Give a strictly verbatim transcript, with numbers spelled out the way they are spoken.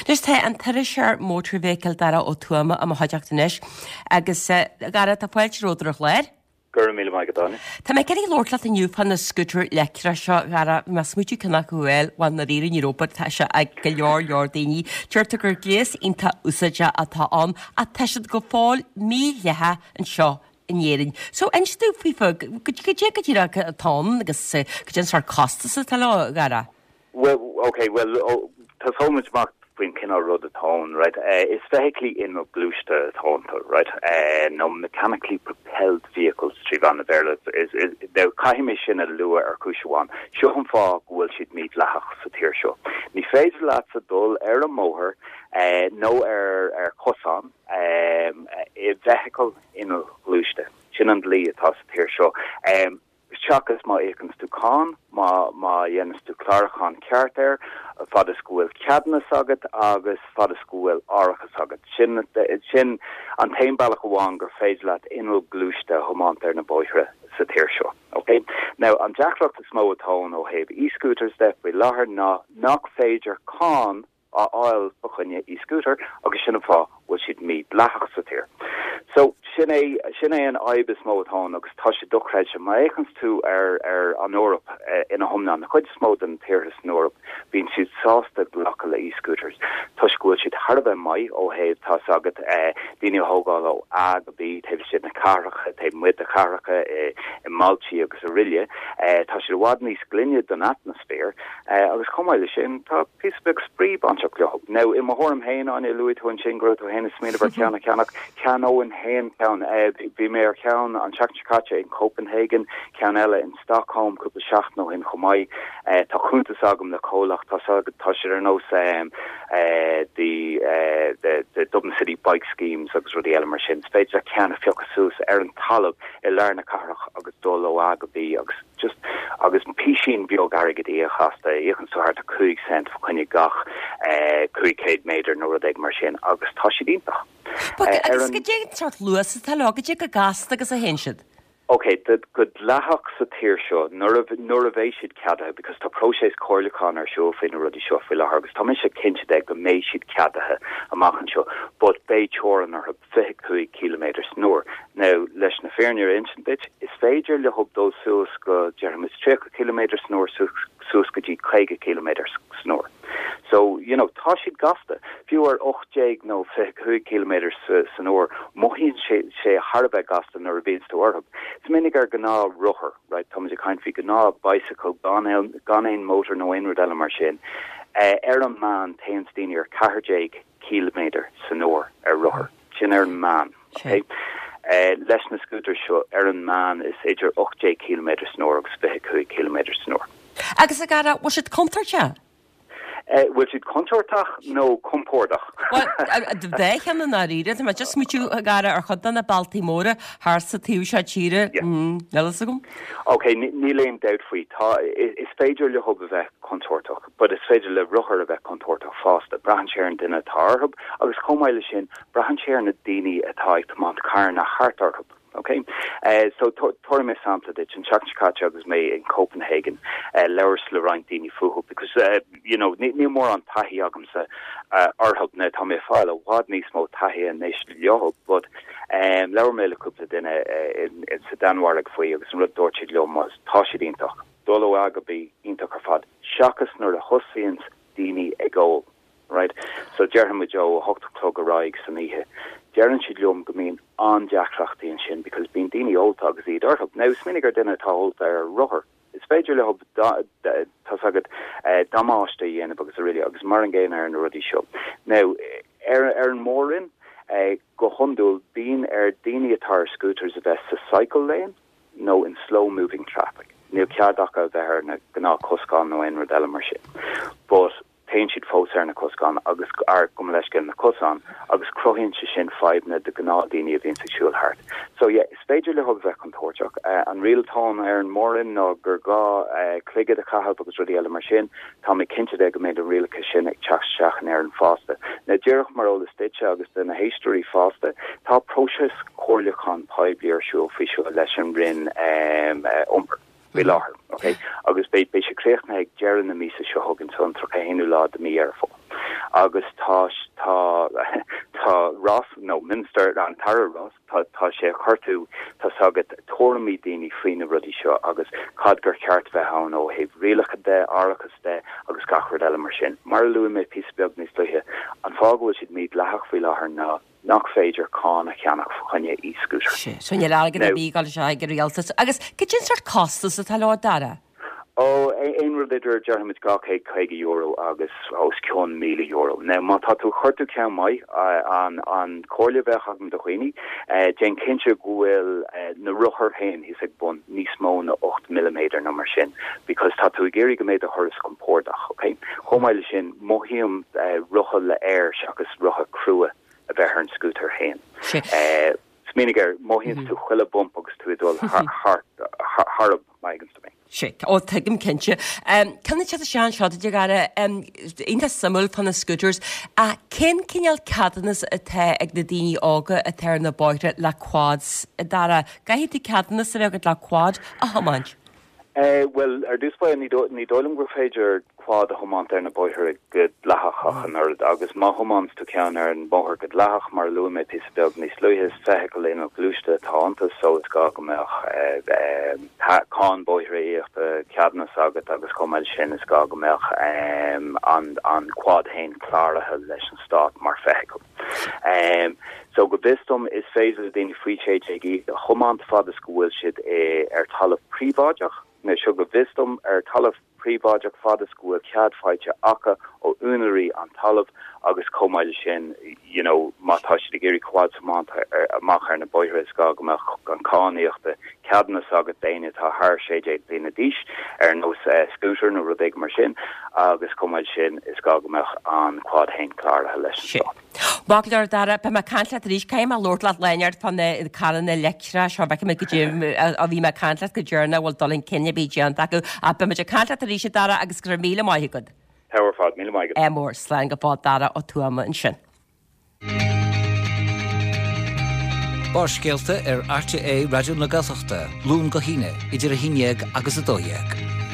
Anois tá an t-iriseoir mótarfheithicle Dara Ó Tuama i mo chuideachta anois agus a Dhara tá fáilte romhat ar an chlár. Go raibh míle maith agat Áine. Tá mé ag iarraidh labhairt leat inniu fá na scútair leictreach seo a Dhara mé ag smaoitiú ceann acu a fháil bhuel i ndáiríre ní raibh but tá sé ag go leor leor daoine. Deirtear gur gléas iontach úsáideach atá ann ach tá siad go fóill mídhleathach anseo in Éirinn. So inis dom faoi fa goidé go díreach atá ann agus goidé an sórt costas atá leo a Dhara. Well, okay, well, oh, tosóidh muid amach faoin cineál rud atá ann, right? Uh, is feithiclí inneallghluaiste atá iontu, right? Uh, nó mechanically propelled vehicles trí mheán an Bhéarla. Is, is, now, caithfidh mé sin a lua ar chúis amháin. Seo an fáth go bhfuil siad mídhleathach sa tír seo. Ní féidir leatsa dul ar an mbóthar uh, nó ar ar cosán um, i bhfeithicil inneallghluaiste. Sin an dlí atá sa tír seo. Um, seachas má íocann tú cáin má má dhéanann tú clárúchán ceart air fad is go bhfuil ceadúnas agat agus fad is go bhfuil árachas agat sin sin an t-aon bealach amháin gur féidir leat inneall gluaiste a thiomáint ar na bóithre sa tír seo. Okay? Now an deacracht is mó atá ó thaobh e-scooters de faoi láthair ná nach féidir cáin a fháil fá choinne e-scooter agus sin an fáth bhfuil siad mídhleathach sa tír. So sin é sin é an fhadhb is mó atá agus tá sé dochreidte má fhéachann tú ar ar an Eoraip eh, ina hiomlán na chuid is mó den tíortha san Eoraip bíonn siad sásta glacadh le e-scooters. Tá go bhfuil siad thar a bheith maith ó thaobh tá agat eh, daoine a thógáil ó A go B taobh istigh na cathracha taobh amuigh de chathracha i, i mbailte agus araile eh, tá siad i bhfad níos glaine don atmaisféar eh, agus chomh maith le sin tá píosa beag spraoi bainteach leo. Now i mo thuairim féin Áine luaigh tú ansin go tú féin ag smaoineamh ar cheann a cheannach cheannóinn féin ceann eh, bhí mé ar cheann an tseachtain seo caite in Copenhagen ceann eile in Stockholm cúpla seachtain ó shin chomh maith eh, tá cuntas agam le comhlacht tá tá siad ar nós um, uh, the, uh, the, the Dublin City bike schemes agus rudaí eile mar sin. Féidir ceann a phiocadh suas ar an talamh i lár na cathrach agus dul ó A go B agus just agus píosín beag airgid a chasta íocann tú thart cúig cent fá choinne gach eh, cúig céad méadar nó rud éigin mar sin agus tá siad iontach. Agus goidé an sórt luas atá leo goidé chomh gasta agus a théann siad. Ok, go dleathach sa tír seo nuair nuair a bheidh siad ceadaithe because tá próiseas comhairliúcháin ar siúl faoi na rudaí seo faoi láthair agus tá mise cinnte de go mbeidh siad ceadaithe amach anseo, but beidh teorainn orthu fiche cúig kilometer san uair. Now leis na fírinne a insint duit, is féidir leo dul suas go déarfaimis tríocha kilometer san uair suas go dtí caoga kilometer san uair. So you know tá siad gasta fiú ar ocht déag nó fiche cúig kilometer san uair mothaíonn sé sé thar a bheith gasta nuair a bhíonn tú orthu. Smaoinigh ar ghnáthrothar, right tá ag caint faoi gnáth bicycle gan gan aon motor nó aon rud eile mar sin. Uh, ar an meán téann daoine ar ceathair déag kilometer san uair ar rothar. Sin ar an meán. Okay? Uh, leis na scooter seo ar an meán is idir ocht déag kilometer san uair agus fiche cúig kilometer san uair. Agus a Dhara bhfuil siad contúirteach? Uh, bhfuil siad contúirteach nó compordach. Bheith an áíre má just smaoitiú a Dhara ar chuid de na bailte móra thar sa taobh seo tíre eile agam? Ok, níl aon dabht faoi tá is féidir leo a bheith contúirteach, but is féidir le rothar a bheith contúirteach fosta. Braitheann sé ar an duine atá orthu agus chomh maith le sin braitheann sé ar na daoine atá ag tiomáint carranna thart orthu. Okay, uh, so tabharfaidh mé sampla duit an tseachtain seo caite agus mé in Copenhagen uh, labhras le roinnt daoine fúthu because uh, you know níl mórán taithí agamsa uh, orthu na tá mé fáil i bhfad níos mó taithí anois leo but um, labhair mé le cúpla duine uh, in, in sa Danmhairg faoi agus an rud dúirt siad liom tá siad iontach. Dul ó A go B iontach ar fad seachas nuair a thosaíonn daoine ag ól. Right? So déarfaimid ó hocht a chlog ar aghaidh san oíche. Deireann siad liom go mbíonn an-deacrachtaí ansin because bíonn daoine ólta agus iad orthu. Now smaoinigh ar duine atá ólta ar rothar. Is féidir leo tá agat eh, damáiste a dhéanamh agus araile agus mar an gcéanna ar na rudaí seo. Now ar ar an mórroinn eh, go hiondúil bíonn ar daoine atá ar scooters a bheith sa cycle lane nó in slow moving traffic. Níl cead acu a bheith ar na gnáthchosán nó aon rud eile mar sin. But téann siad fós ar na cosán agus ar gom leis na cosán agus cruthaíonn sé sin fadhbanna do ghnáthdhaoine a bhíonn ag siúl thart. So yeah, is féidir leo a bheith contúirteach. Uh, an riail atá ar an mórroinn ná gur gá uh, cloigead a chaitheamh agus rudaí eile mar sin, Tá mé cinnte de go mbeidh an rialacha sin ag teacht isteach in Éirinn fosta. Na díreach mar eolas duitse agus do na héisteoirí fosta, tá próiseas comhairliúchán poiblí ar siúl faoi seo leis an Roinn um, uh, iompair. faoi láthair, okay? Agus beidh beidh sé críochnaithe ag deireadh na míosa seo chugainn so an tríocha haonú lá de mí Dheireadh Fómhair. Agus tá tá tá Ross nó Minister an tAire Ross tá tá sé ag cuartú tá agat tuairimí daoine faoi na rudaí seo agus cad gur cheart bheith ann ó thaobh rialacha de árachas de agus gach rud eile mar sin. Mar a luaigh mé píosa beag níos luaithe an fáth go bhfuil siad mídhleathach faoi láthair ná nach féidir cáin a cheannach fá choinne e-scooter. So níl airgead ar bith ag dul ag an rialtas. Agus cad é an sórt costas atá leo Dara? Ó aon rud idir déarfaimid dhá chéad caoga euro agus os cionn míle euro. Now má tá tú cuartú ceann maith an an chomhairle a bheadh agam do dhaoine, déan cinnte go bhfuil na rothair féin thíos ag bun níos mó na ocht milliméadar nó mar sin, because tá tú ag iarraidh go mbeidh do thuras compordach, okay? Chomh maith leis sin mothaím rotha le aer seachas rotha crua a bheith ar an scútar féin. Smaoinigh air mothaíonn tú chuile bump agus tú ag dul thar mé. Sé ó tuigim cinnte. Cenne se sean seo de gara iontach suimiúil fá na scooters a cén cineál ceadúnas atá ag na daoine óga atá ar na bóithre le quads Dara Caithfidh tú ceadúnas a bheith agat le quad a thiomáint. Well ar dtús báire ní ní dóigh liom gur féidir quad a thiomáint ar na bóithre go dleathach ach an oiread agus má thiomáineann tú ceann ar an mbóthar go dleathach mar luaigh mé píosa beag níos luaithe is feithicil inneallghluaiste atá iontu so is gá go mbeadh cáin bóithre íoctha ceadúnas agat agus chomh maith sin is gá go mbeadh an an quad féin cláraithe leis an stát mar feithicil. Um, so go bhfios dom is féidir le daoine faoi sé déag a thiomáint fad is go bhfuil siad ar talamh príobháideach nó seo go bhfios dom ar talamh príobháideach fad is go bhfuil cead faighte acu ó úinéirí an talamh agus chomh maith leis sin you know má tá siad ag iarraidh quad a thiomáint amach ar na bóithre is gá go mbeadh an cáin íoctha ceadúnas agat d'éinne atá thar sé déag bliana d'aois ar nós uh, scooter nó rud éigin mar sin agus chomh maith sin is gá go mbeadh an quad féin cláraithe leis an stát. Baclar dara pe me caint leat arís caithfidh mé labhairt leat leonard fá na carranna leictreacha seo bheith mé go dtí a bhí mé caint leat go deireanach bhfuil dul chun cinn a bhí déanta acu a beimid ag caint leat arís Dara agus go raibh míle maith agat. Tá fad míle maith. É mór slán go fóill Dara Ó Tuama ansin. Barrscéalta ar RTÉ Raidió na Gaeltachta, Luan go hAoine, idir a haon déag agus a dó dhéag.